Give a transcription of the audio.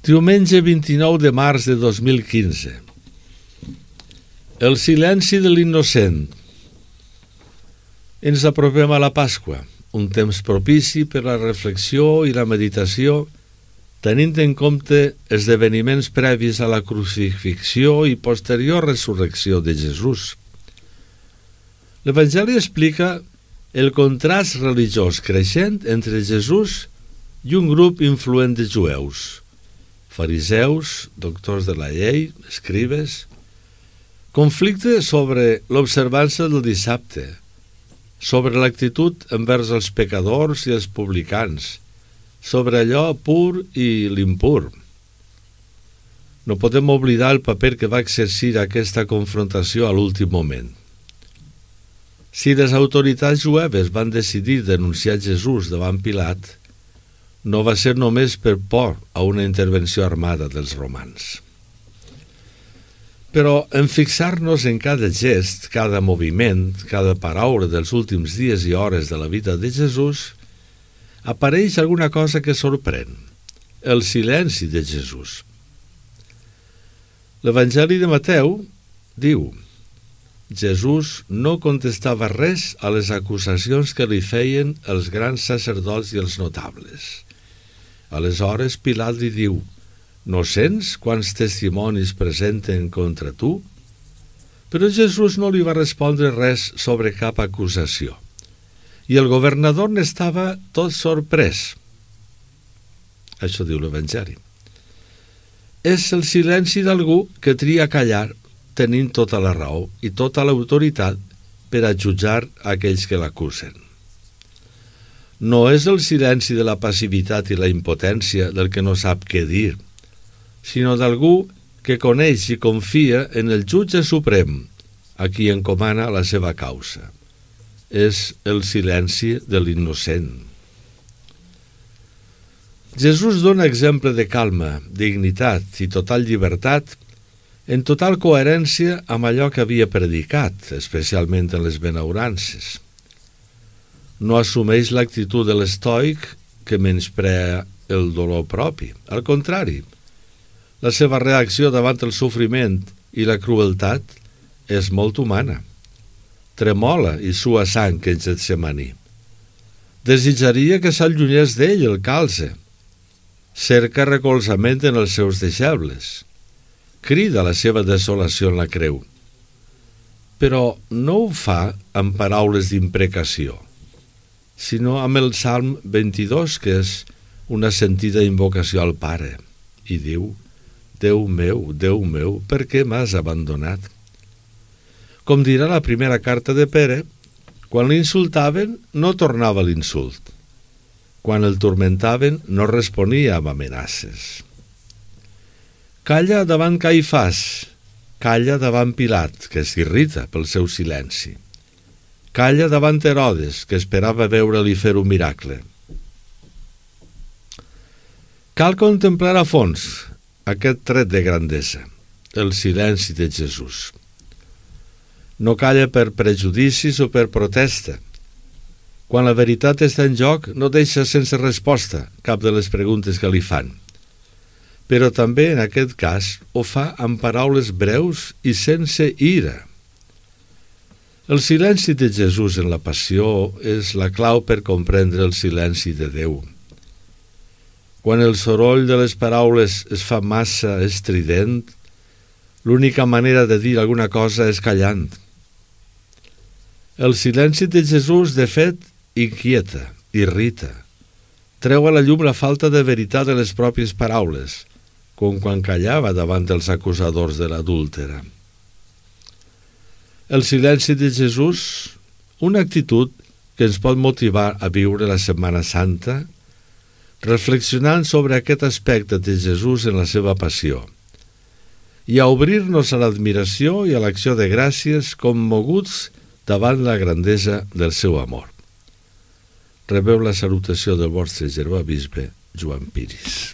Diumenge 29 de març de 2015. El silenci de l'innocent. Ens apropem a la Pasqua, un temps propici per la reflexió i la meditació, tenint en compte esdeveniments previs a la crucifixió i posterior resurrecció de Jesús. L'Evangeli explica el contrast religiós creixent entre Jesús i un grup influent de jueus, fariseus, doctors de la llei, escribes, conflicte sobre l'observança del dissabte, sobre l'actitud envers els pecadors i els publicans, sobre allò pur i l'impur. No podem oblidar el paper que va exercir aquesta confrontació a l'últim moment. Si les autoritats jueves van decidir denunciar Jesús davant Pilat, no va ser només per por a una intervenció armada dels romans. Però en fixar-nos en cada gest, cada moviment, cada paraula dels últims dies i hores de la vida de Jesús, apareix alguna cosa que sorprèn, el silenci de Jesús. L'Evangeli de Mateu diu: Jesús no contestava res a les acusacions que li feien els grans sacerdots i els notables. Aleshores Pilat li diu: no sents quants testimonis presenten contra tu? Però Jesús no li va respondre res sobre cap acusació. I el governador n'estava tot sorprès. Això diu l'Evangeli. És el silenci d'algú que tria callar, tenint tota la raó i tota l'autoritat per a jutjar aquells que l'acusen. No és el silenci de la passivitat i la impotència del que no sap què dir, sinó d'algú que coneix i confia en el jutge suprem, a qui encomana la seva causa. És el silenci de l'innocent. Jesús dona exemple de calma, dignitat i total llibertat, en total coherència amb allò que havia predicat, especialment en les benaurances. No assumeix l'actitud de l'estoic que menysprea el dolor propi. Al contrari, la seva reacció davant el sofriment i la crueltat és molt humana. Tremola i sua sang en Getsemaní. Desitjaria que s'allunyés d'ell el calze. Cerca recolzament en els seus deixebles. Crida la seva desolació en la creu. Però no ho fa amb paraules d'imprecació, sinó amb el Salm 22, que és una sentida invocació al Pare, i diu: Déu meu, per què m'has abandonat? Com dirà la primera carta de Pere, quan l'insultaven no tornava l'insult. Quan el turmentaven no responia amb amenaces. Calla davant Caifàs, calla davant Pilat, que s'irrita pel seu silenci. Calla davant Herodes, que esperava veure-li fer un miracle. Cal contemplar a fons aquest tret de grandesa, el silenci de Jesús. No calla per prejudicis o per protesta. Quan la veritat està en joc, no deixa sense resposta cap de les preguntes que li fan. Però també, en aquest cas, ho fa amb paraules breus i sense ira. El silenci de Jesús en la passió és la clau per comprendre el silenci de Déu. Quan el soroll de les paraules es fa massa estrident, l'única manera de dir alguna cosa és callant. El silenci de Jesús, de fet, inquieta, irrita. Treu a la llum la falta de veritat de les pròpies paraules, com quan callava davant dels acusadors de l'adúltera. El silenci de Jesús, una actitud que ens pot motivar a viure la Setmana Santa, reflexionant sobre aquest aspecte de Jesús en la seva passió, i a obrir-nos a l'admiració i a l'acció de gràcies commoguts davant la grandesa del seu amor. Rebeu la salutació del vostre germà bisbe Joan Piris.